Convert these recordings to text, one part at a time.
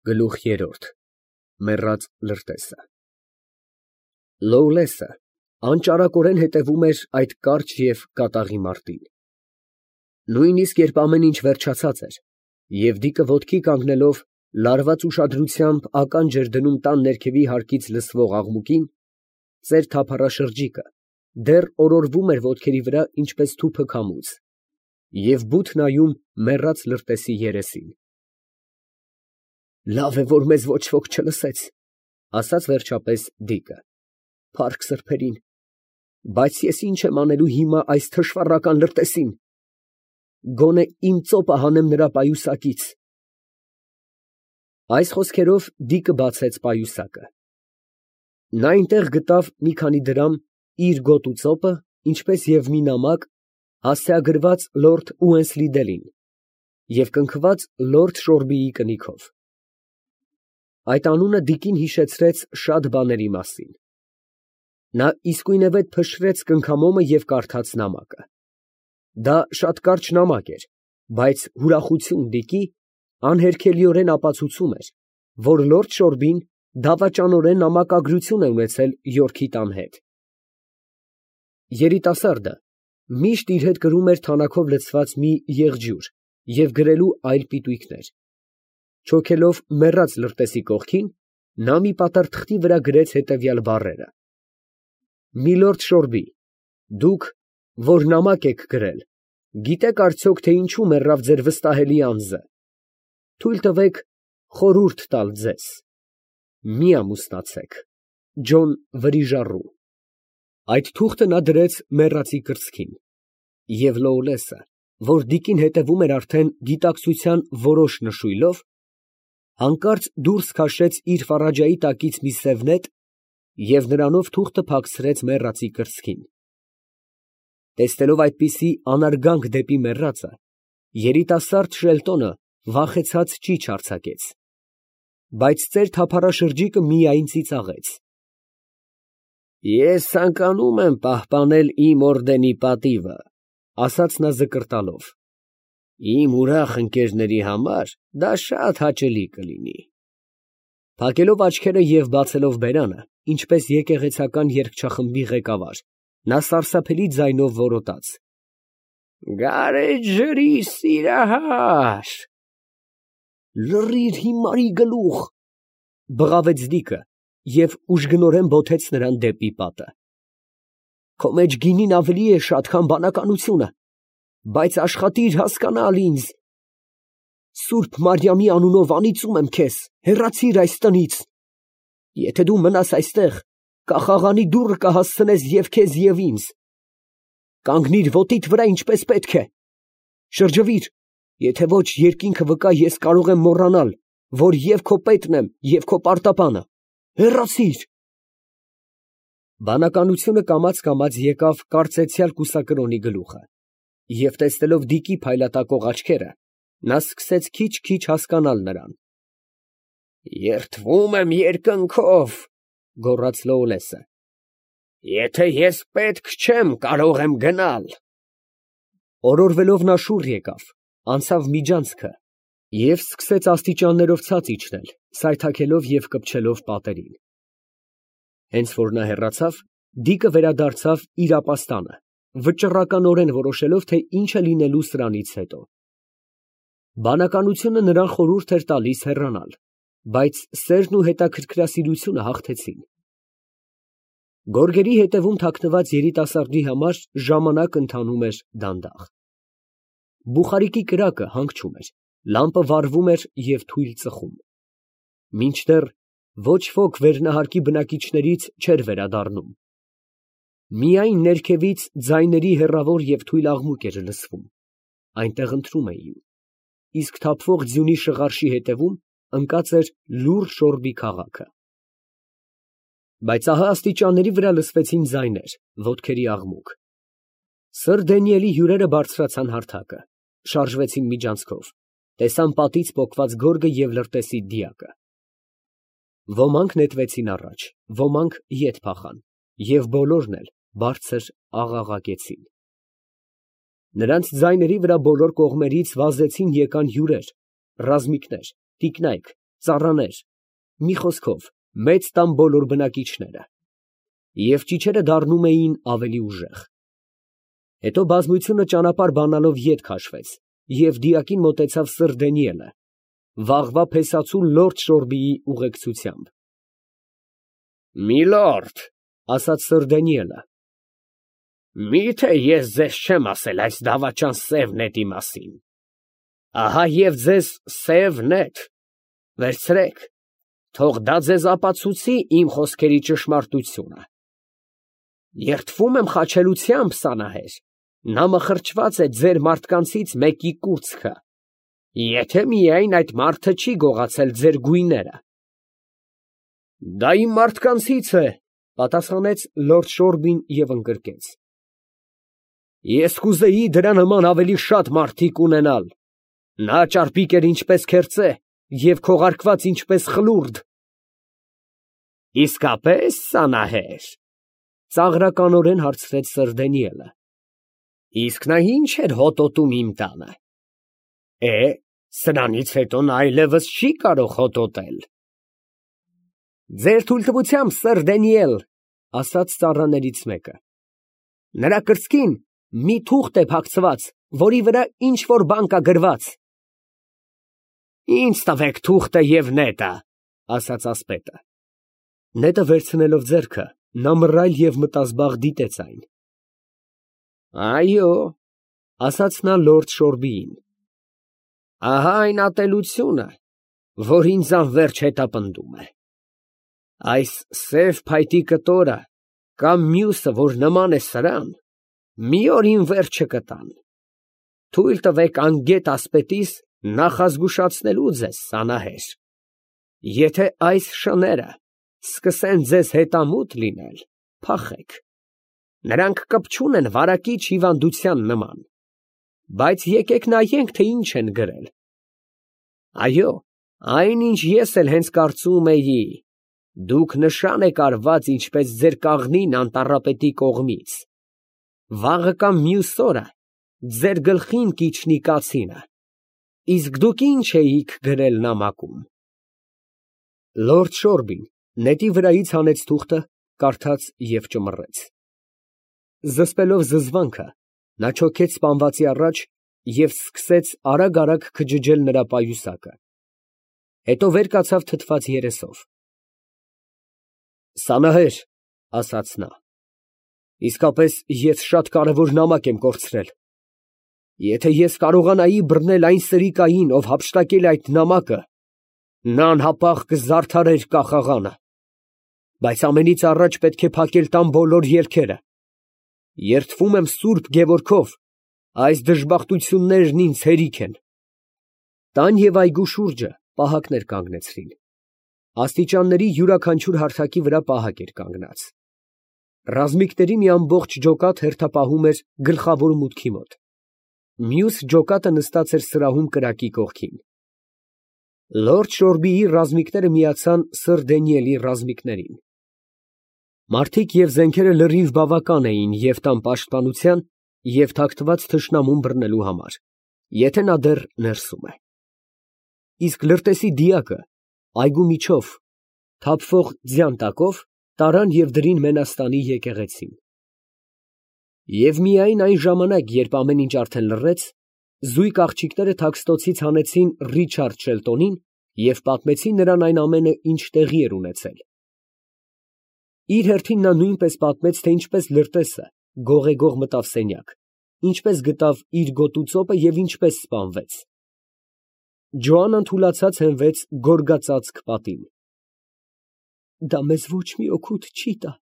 Գլուխ երրորդ մեռած լրտեսը Լոուլեսը անճարակորեն հետևում էր այդ կարճ և կատաղի մարտին։ Նույնիսկ երբ ամեն ինչ վերջացած էր, և Դիկը ոտքի կանգնելով, լարված ուշադրությամբ ականջ էր դնում տան ներքևի հարկից լսվող աղմուկին, ծեր թափառաշրջիկը դեռ օրորվում էր ոտքերի վրա, ինչպես թուփը քամուց, և բութ նայում մեռած լրտեսի երեսին։ «Լավ է, որ մեզ ոչ ոք չլսեց, ֊ ասաց վերջապես Դիկը, ֊ փառք սրբերին, բայց ես ինչ եմ անելու հիմա այս թշվառական լրտեսին. գոնե իմ ծոպը հանեմ նրա պայուսակից»։ Այս խոսքերով Դիկը բացեց պայուսակը։ Նա այնտեղ գտավ մի քանի դրամ, իր գոտու ծոպը, ինչպես և մի նամակ, հասցեագրված լորդ Ուենսլիդելին և կնքված լորդ Շորբիի կնիքով։ Այդ անունը Դիկին հիշեցրեց շատ բաների մասին։ Նա իսկույնևեթ փշրեց կնքամոմը և կարդաց նամակը։ Դա շատ կարճ նամակ էր, բայց ուրախություն Դիկի անհերքելիորեն ապացուցում էր, որ լորդ Շորբին դավաճանորեն նամակագրություն է ունեցել Յորքի տան հետ։ Երիտասարդը միշտ իր հետ կրում էր թանաքով լցված մի եղջյուր և գրելու այլ պիտույքներ։ Չոքելով մեռած լրտեսի կողքին, նա մի պատառ թղթի վրա գրեց հետևյալ բառերը. Միլորդ Շորբի, դուք, որ նամակ եք գրել, գիտեք արդյոք, թե ինչու մեռավ ձեր վստահելի անձը. թույլ տվեք խորհուրդ տալ ձեզ. մի ամուսնացեք. Ջոն Վրիժառու։ Այդ թուղթը նա դրեց մեռածի կրծքին, և Լոուլեսը, որ Դիկին հետևում էր արդեն գիտակցության որոշ նշույլով, հանկարծ դուրս քաշեց իր ֆարաջայի տակից մի սև նետ և նրանով թուղթը փակցրեց մեռածի կրծքին։ Տեսնելով այդպիսի անարգանք դեպի մեռածը, երիտասարդ Շելտոնը վախեցած ճիչ արձակեց, բայց ծեր թափառաշրջիկը միայն ծիծաղեց։ «Ես ցանկանում եմ պահպանել իմ օրդենի պատիվը, ֊ ասաց նա զկրտալով, ֊ իմ ուրախ ընկերների համար դա շատ հաճելի կլինի»։ Փակելով աչքերը և բացելով բերանը, ինչպես եկեղեցական երգչախմբի ղեկավար, նա սարսափելի ձայնով որոտաց. «Գարեջրի սիրահար…» «Լռիր, հիմարի գլուխ, ֊ բղավեց Դիկը և ուժգնորեն բոթեց նրան դեպի պատը, ֊ քո մեջ գինին ավելի է շատ, քան բանականությունը, բայց աշխատիր հասկանալ ինձ… Սուրբ Մարիամի անունով անիծում եմ քեզ, հեռացիր այս տնից… Եթե դու մնաս այստեղ, կախաղանի դուռը կհասցնես և քեզ, և ինձ… Կանգնիր ոտիդ վրա, ինչպես պետք է… Շրջվիր, եթե ոչ, երկինքը վկա, ես կարող եմ մոռանալ, որ և քո պետն եմ, և քո պարտապանը… Հեռացիր…»։ Բանականությունը կամաց եկավ կարծեցյալ կուսակրոնի գլուխը, և տեսնելով Դիկի փայլատակող աչքերը, նա սկսեց քիչ֊քիչ հասկանալ նրան։ «Երդվում եմ երկնքով, ֊ գոռաց Լոուլեսը, ֊ եթե ես պետք չեմ, կարող եմ գնալ»։ Օրորվելով նա շուռ եկավ, անցավ միջանցքը և սկսեց աստիճաններով ցած իջնել, սայթաքելով և կպչելով պատերին։ Հենց որ նա հեռացավ, Դիկը վերադարձավ իր ապաստանը, վճռականորեն որոշելով, թե ինչ է լինելու սրանից հետո։ Բանականությունը նրան խորհուրդ էր տալիս հեռանալ, բայց սերն ու հետաքրքրասիրությունը հաղթեցին։ Գորգերի ետևում թաքնված երիտասարդի համար ժամանակ ընթանում էր դանդաղ։ Բուխարիկի կրակը հանգչում էր, լամպը վառվում էր և թույլ ծխում, մինչդեռ ոչ ոք վերնահարկի բնակիչներից չէր վերադառնում։ Միայն ներքևից ձայների հեռավոր և թույլ աղմուկ էր լսվում, այնտեղ ընթրում էին, իսկ թափվող ձյունի շղարշի հետևում ընկած էր լուռ Շորբի քաղաքը։ Բայց ահա աստիճանների վրա լսվեցին ձայներ, ոտքերի աղմուկ։ Սըր Դանիելի հյուրերը բարձրացան հարթակը, շարժվեցին միջանցքով, տեսան պատից պոկված գորգը և լրտեսի դիակը։ Ոմանք նետվեցին առաջ, ոմանք ետ փախան, և բոլորն էլ բարձր աղաղակեցին։ Նրանց ձայների վրա բոլոր կողմերից վազեցին եկան հյուրեր, ռազմիկներ, տիկնայք, ծառաներ, մի խոսքով, մեծ տան բոլոր բնակիչները, և ճիչերը դառնում էին ավելի ուժեղ։ Հետո բազմությունը ճանապարհ բանալով ետ քաշվեց, և դիակին մոտեցավ սըր Դանիելը, վաղվա փեսացու լորդ Շորբիի ուղեկցությամբ։ Միլորդ, ասաց սըր Դանիելը, միթե ես ձեզ չեմ ասել այս դավաճան սև նետի մասին։ Ահա և ձեզ սև նետ, վերցրեք, թող դա ձեզ ապացուցի իմ խոսքերի ճշմարտությունը։ Երդվում եմ խաչելությամբ, Սանահեր, նա մխրճված է ձեր մարդկանցից մեկի կուրծքը, եթե միայն այդ մարդը չի գողացել ձեր գույները։ Դա իմ մարդկանցից է, պատասխանեց լորդ Շորբին և ընկրկեց. ես կուզեի դրա նման ավելի շատ մարդիկ ունենալ, նա ճարպիկ էր ինչպես քերծե և քողարկված ինչպես խլուրդ։ Իսկապես, Սանահեր, ծաղրականորեն հարցրեց սըր Դանիելը, իսկ նա ինչ էր հոտոտում իմ տանը։ Սրանից հետո նա այլևս չի կարող հոտոտել։ Ձեր թույլտվությամբ, սըր Դանիել, ասաց ծառաներից մեկը, նրա կրծքին մի թուղթ է փակցված, որի վրա ինչ որ բան կա գրված։ Ինձ տվեք թուղթը և նետը, ասաց ասպետը։ Նետը վերցնելով ձեռքը, նա մռայլ և մտազբաղ դիտեց այն։ Այո, ասաց նա լորդ Շորբիին, ահա այն ատելությունը, որ ինձ անվերջ հետապնդում է։ Այս սև փայտի կտորը կամ մյուսը, որ նման է սրան, մի օր իմ վերջը կտան։ Թույլ տվեք անգետ ասպետիս նախազգուշացնելու ձեզ, Սանահեր, եթե այս շները սկսեն ձեզ հետամուտ լինել, փախեք, նրանք կպչուն են վարակիչ հիվանդության նման, բայց եկեք նայենք, թե ինչ են գրել։ Այո, այն, ինչ ես էլ հենց կարծում էի, դուք նշան եք արված ինչպես ձեր կաղնին անտառապետի կողմից, վաղը կամ մյուս օրը ձեր գլխին կիջնի կացինը, իսկ դուք ինչ էիք գրել նամակում։ Լորդ Շորբին նետի վրայից հանեց թուղթը, կարդաց և ճմռեց։ Զսպելով զզվանքը, նա չոքեց սպանվածի առաջ և սկսեց արագ քջջել նրա պայուսակը, հետո վեր կացավ թթված երեսով։ Սանահեր, ասաց նա, իսկապես ես շատ կարևոր նամակ եմ կորցրել։ Եթե ես կարողանայի բռնել այն սրիկային, ով հափշտակել է այդ նամակը, նա անհապաղ կզարդարեր կախաղանը, բայց ամենից առաջ պետք է փակել տան բոլոր ելքերը։ Երդվում եմ Սուրբ Գևորգով, այս դժբախտություններն ինձ հերիք են։ Տան և այգու շուրջը պահակներ կանգնեցրին։ Աստիճանների յուրաքանչյուր հարթակի վրա պահակ էր կանգնած։ Ռազմիկների մի ամբողջ ջոկատ հերթապահում էր գլխավոր մուտքի մոտ։ Մյուս ջոկատը նստած էր սրահում կրակի կողքին։ Լորդ Շորբիի ռազմիկները միացան սըր Դանիելի ռազմիկներին։ Մարդիկ և զենքերը լրիվ բավական էին և տան պաշտպանության, և թաքնված թշնամուն բռնելու համար, եթե նա դեռ ներսում է։ Իսկ լրտեսի դիակը այգու միջով, թափվող ձյան տակով, տարան և դրին Մենաստանի եկեղեցին։ Եվ միայն այն ժամանակ, երբ ամեն ինչ արդեն լռեց, զույգ աղջիկները Թաքստոցից հանեցին Ռիչարդ Շելտոնին և պատմեցին նրան այն ամենը, ինչ տեղի էր ունեցել։ Իր հերթին նա նույնպես պատմեց, թե ինչպես լրտեսը գողեգող մտավ սենյակ, ինչպես գտավ իր գոտու ծոպը և ինչպես սպանվեց։ Ջոաննան թուլացած հենվեց գորգածածկ պատին։ Դա մեզ ոչ մի օգուտ չի տա,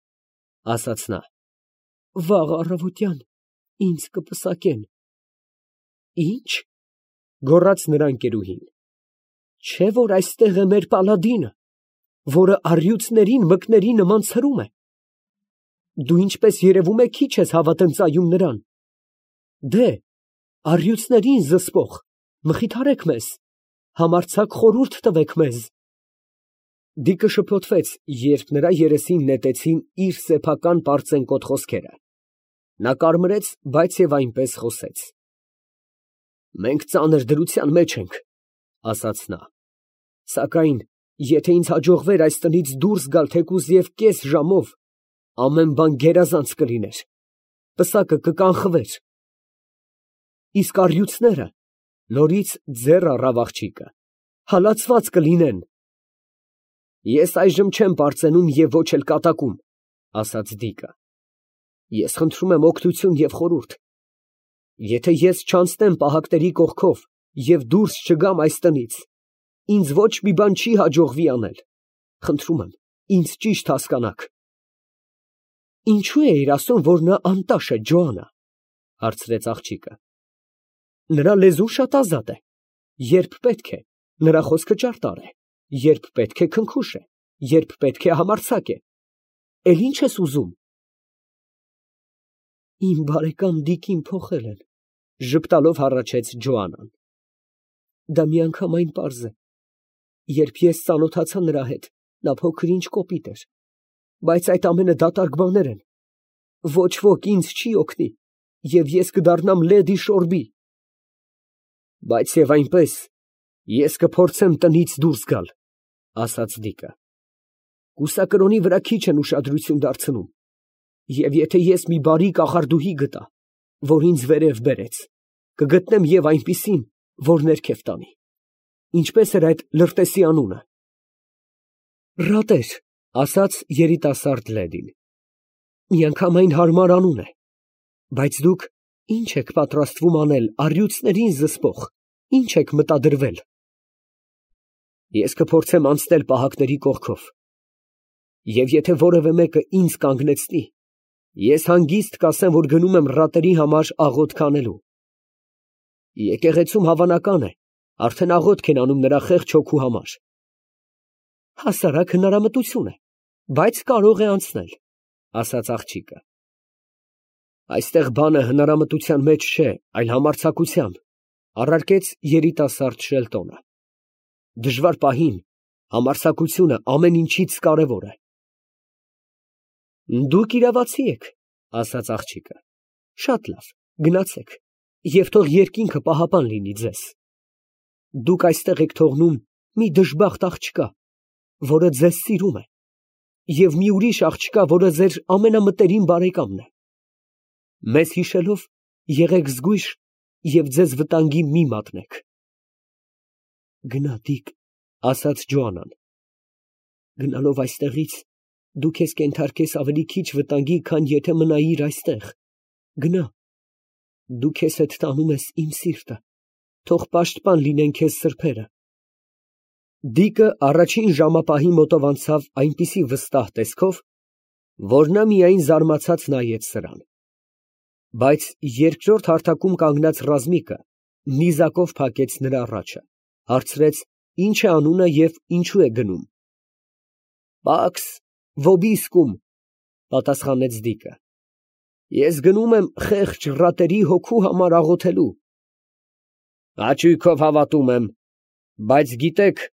ասաց նա, վաղ առավոտյան ինձ կպսակեն։ Ի՞նչ, գոռաց նրա ընկերուհին, չէ՞ որ այստեղ է մեր պալադինը, որը առյուծներին մկների նման ցրում է։ Դու ինչպես երևում է քիչ ես հավատընծայում նրան։ Դե, առյուծներին զսպող, մխիթարեք մեզ, համարձակ խորհուրդ տվեք մեզ։ Դիկը շփոթվեց, երբ նրա երեսին նետեցին իր սեփական պարծենկոտ խոսքերը։ Նա կարմրեց, բայց և այնպես խոսեց. Մենք ծանր դրության մեջ ենք, ասաց նա։ Սակայն, եթե ինձ հաջողվեր այս տնից դուրս գալ թեկուզ և կես ժամով, ամեն բան գերազանց կլիներ, պսակը կկանխվեր։ Իսկ առյուծները, նորից ձեռ առավ աղջիկը, հալածված կլինեն։ Ես այժմ չեմ պարծենում և ոչ էլ կատակում, ասաց Դիկը։ Ես խնդրում եմ օգնություն և խորհուրդ։ Եթե ես չանցնեմ պահակների կողքով և դուրս չգամ այս տնից, ինձ ոչ մի բան չի հաջողվի անել։ Խնդրում եմ, ինձ ճիշտ հասկանաք։ Ինչո՞ւ էիր ասում, որ նա անտաշ է, Ջոանա, հարցրեց աղջիկը։ Նրա լեզուն շատ ազատ է։ Երբ պետք է, նրա խոսքը ճարտար է, երբ պետք է քնքուշ է, երբ պետք է համարձակ է։ Էլ ի՞նչ ես ուզում։ Իմ բարեկամ Դիկին փոխել են, ժպտալով հառաչեց Ջոանան։ Դա միանգամայն պարզ է։ Երբ ես ծանոթացա նրա հետ, նա փոքր-ինչ կոպիտ էր, բայց այդ ամենը դատարկ բաներ են։ Ոչ ոք ինձ չի օգնի, և ես կդառնամ լեդի Շորբի։ Բայց և այնպես, ես կփորձեմ տնից դուրս գալ, ասաց Դիկը։ Կուսակրոնի վրա քիչ են ուշադրություն դարձնում, և եթե ես մի բարի կախարդուհի գտա, որ ինձ վերև բերեց, կգտնեմ և այնպիսին, որ ներքև տանի։ Ինչպես էր այդ լրտեսի անունը։ Ռատեր, ասաց երիտասարդ լեդին։ Միանգամայն հարմար անուն է, բայց դուք ինչ եք պատրաստվում անել առյուծներին զսպող, ինչ եք մտադրվել։ Ես կփորձեմ անցնել պահակների կողքով, և եթե որևէ մեկը ինձ կանգնեցնի, ես հանգիստ կասեմ, որ գնում եմ ռատերի համար աղոթք անելու։ Եկեղեցում հավանական է, արդեն աղոթք են անում նրա խեղճ հոգու համար։ Հասարակ հնարամտություն է, բայց կարող է անցնել, ասաց աղջիկը։ Այստեղ բանը հնարամտության մեջ չէ, այլ համարձակության, առարկեց երիտասարդ Շելտոնը։ Դժվար պահին համարձակությունը ամեն ինչից կարևոր է։ Դուք իրավացի եք, ասաց աղջիկը։ Շատ լավ, գնացեք, և թող երկինքը պահապան լինի ձեզ։ Դուք այստեղ եք թողնում մի դժբախտ աղջկա, որը ձեզ սիրում է, և մի ուրիշ աղջկա, որը ձեր ամենամտերիմ բարեկամն է։ Մեզ հիշելով եղեք զգույշ և ձեզ վտանգի մի մատնեք։ Գնա, Դիկ, ասաց Ջոանան։ Գնալով այստեղից, դու քեզ կենթարկես ավելի քիչ վտանգի, քան եթե մնայիր այստեղ։ Գնա, դու քեզ հետ տանում ես իմ սիրտը, թող պաշտպան լինեն քեզ սրբերը։ Դիկը առաջին ժամապահի մոտով անցավ այնպիսի վստահ տեսքով, որ նա միայն զարմացած նայեց սրան։ Բայց երկրորդ հարթակում կանգնած ռազմիկը նիզակով փակեց նրա առաջը, հարցրեց, ինչ է անունը և ինչու է գնում։ Պաքս վոբիսկում, պատասխանեց Դիկը։ Ես գնում եմ խեղճ ռատերի հոգու համար աղոթելու։ Հաճույքով հավատում եմ, բայց գիտեք,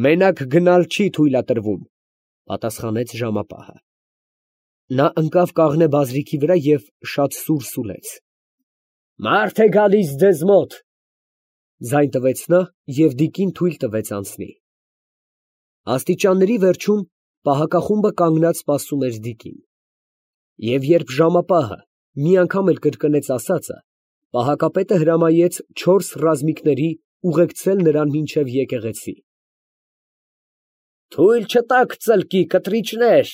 մենակ գնալ չի թույլատրվում, պատասխանեց ժամապահը։ Նա ընկավ կաղնե բազրիքի վրա և շատ սուր սուլեց։ Մարդ է գալիս ձեզ մոտ, ձայն տվեց նա և Դիկին թույլ տվեց անցնի։ Աստիճանների վերջում պահակախումբը կանգնած սպասում էր Դիկին։ Եվ երբ ժամապահը մի անգամ էլ կրկնեց ասածը, պահակապետը հրամայեց 4 ռազմիկների ուղեկցել նրան մինչև եկեղեցի։ Թույլ չտաք ծլկի, կտրիչներ,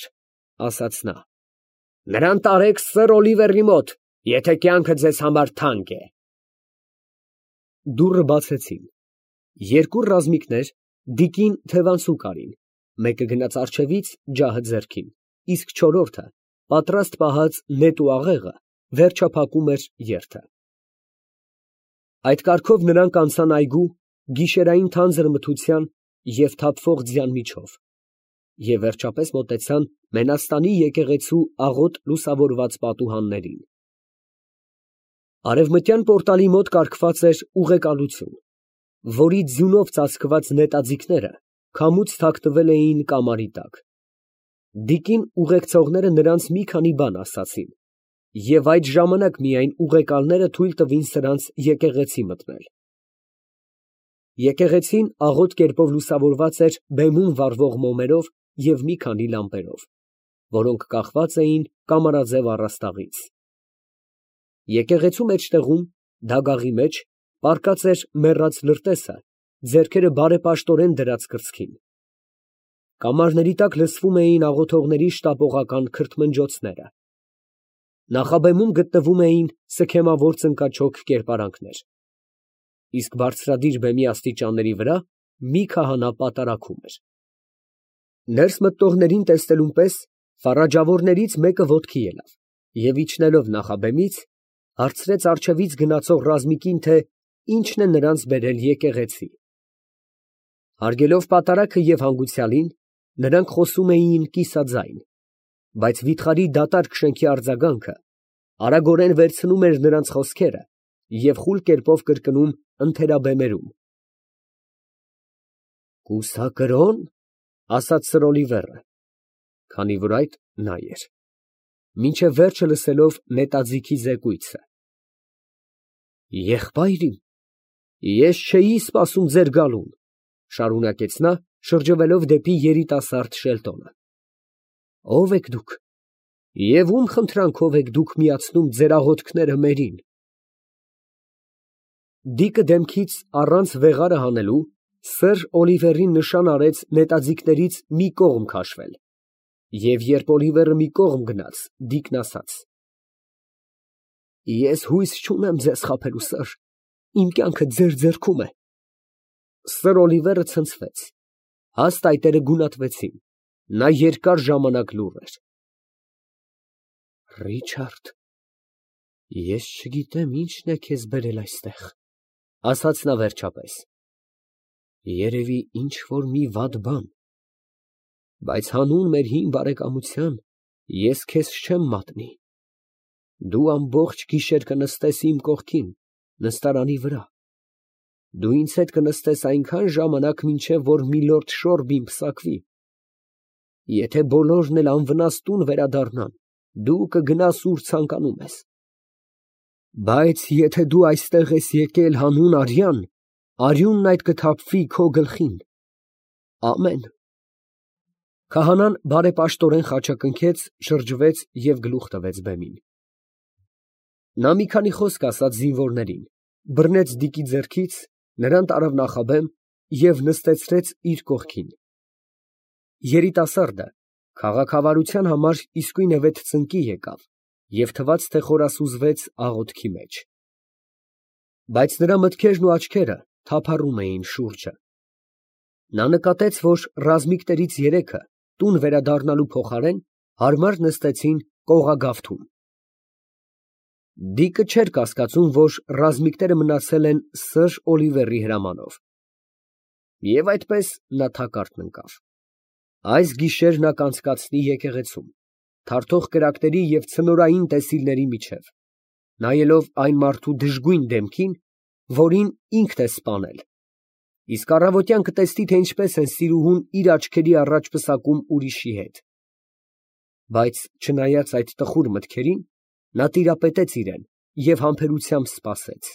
ասաց նա։ Նրան տարեք սըր Օլիվերի մոտ, եթե կյանքը ձեզ համար թանկ է։ Դուռը բացեցին։ 2 ռազմիկներ Դիկին թևանցուկ արին, մեկը գնաց առջևից ջահը ձեռքին, իսկ 4-րդը, պատրաստ պահած նետ ու աղեղը, վերջափակում էր երթը։ Այդ կարգով նրանք անցան այգու, գիշերային թանձր մթության և թափվող ձյան միջով, և վերջապես մոտեցան Մենաստանի եկեղեցու աղոտ լուսավորված պատուհաններին։ Արևմտյան պորտալի մոտ կառքված էր ուղեկալություն, որի ձյունով ծածկված նետաձիգները քամուց թաքնվել էին կամարի տակ։ Դիկին ուղեկցողները նրանց մի քանի բան ասացին, և այդ ժամանակ միայն ուղեկալները թույլ տվին սրանց եկեղեցի մտնել։ Եկեղեցին աղոտ կերպով լուսավորված էր բեմում վառվող մոմերով և մի քանի լամպերով, որոնք կախված էին կամարաձև առաստաղից։ Եկեղեցու մեջտեղում, դագաղի մեջ, պառկած էր մեռած լրտեսը, ձեռքերը բարեպաշտորեն դրած կրծքին։ Կամարների տակ լսվում էին աղոթողների շտապողական քրթմնջոցները։ Նախաբեմում գտնվում էին սքեմավոր ծնկաչոք կերպարանքներ, իսկ բարձրադիր բեմի աստիճանների վրա մի քահանա պատարագում էր։ Ներս մտնողներին տեսնելուն պես ֆարաջավորներից մեկը ոտքի ելավ և իջնելով նախաբեմից, հարցրեց առջևից գնացող ռազմիկին, թե ինչն է նրանց բերել եկեղեցի։ Հարգելով պատարագը և հանգուցյալին, նրանք խոսում էին կիսաձայն, բայց վիթխարի դատարկ շենքի արձագանքը արագորեն վերցնում էր նրանց խոսքերը և խուլ կերպով կրկնում ընթերաբեմերում։ «Կուսակրո՞ն», ասաց Սրոլիվերը, քանի որ այդ նա էր, մինչև վերջը լսելով նետաձիգի զեկույցը։ «Եղբայր իմ, ես չէի սպասում ձեր գալուն, ֊ շարունակեց նա, շրջվելով դեպի երիտասարդ Շելտոնը։ ֊ Ո՞վ եք դուք և ում խնդրանքով եք դուք միացնում ձեր աղոթքները մերին։ Դիկը դեմքից առանց վեղարը հանելու սըր Օլիվերին նշան արեց նետաձիգներից մի կողմ քաշվել, և երբ Օլիվերը մի կողմ գնաց, Դիկն ասաց. «Ես հույս չունեմ ձեզ խաբելու, սըր, իմ կյանքը ձեր ձեռքում է»։ Սըր Օլիվերը ցնցվեց, հաստ այտերը գունատվեցին, նա երկար ժամանակ լուռ էր։ «Ռիչարդ, ես չգիտեմ ինչն է քեզ բերել այստեղ, ֊ ասաց նա վերջապես, ֊ երևի ինչ֊որ մի վատ բան, բայց հանուն մեր հին բարեկամության ես քեզ չեմ մատնի։ Դու ամբողջ գիշեր կնստես իմ կողքին, նստարանի վրա, դու ինձ հետ կնստես այնքան ժամանակ, մինչև որ միլորդ Շորբին պսակվի։ Եթե բոլորն էլ անվնաս տուն վերադառնան, դու կգնաս ուր ցանկանում ես։ Բայց եթե դու այստեղ ես եկել հանուն արյան, արյունն այդ կթափվի քո գլխին։ Ամեն»։ Քահանան բարեպաշտորեն խաչակնքեց, շրջվեց և գլուխ տվեց բեմին։ Նա մի քանի խոսք ասաց զինվորներին, բռնեց Դիկի ձեռքից, նրան տարավ նախաբեմ և նստեցրեց իր կողքին։ Երիտասարդը քաղաքավարության համար իսկույնևեթ ծնկի եկավ և թվաց, թե խորասուզվեց աղոթքի մեջ։ Բայց նրա մտքերն ու աչքերը թափառում էին շուրջը։ Նա նկատեց, որ ռազմիկներից երեքը տուն վերադառնալու փոխարեն հարմար նստեցին կողագավթում։ Դիկը չէր կասկածում, որ ռազմիկները մնացել են սըր Օլիվերի հրամանով։ Եվ այդպես նա թակարդն ընկավ։ Այս գիշեր նա կանցկացնի եկեղեցում, թարթող կրակների և ցնորային տեսիլների միջև, նայելով այն մարդու դժգույն դեմքին, որին ինքն է սպանել, իսկ առավոտյան կտեսնի, թե ինչպես են սիրուհուն իր աչքերի առաջ պսակում ուրիշի հետ։ Բայց չնայած այդ տխուր մտքերին, նա տիրապետեց իրան և համբերությամբ սպասեց։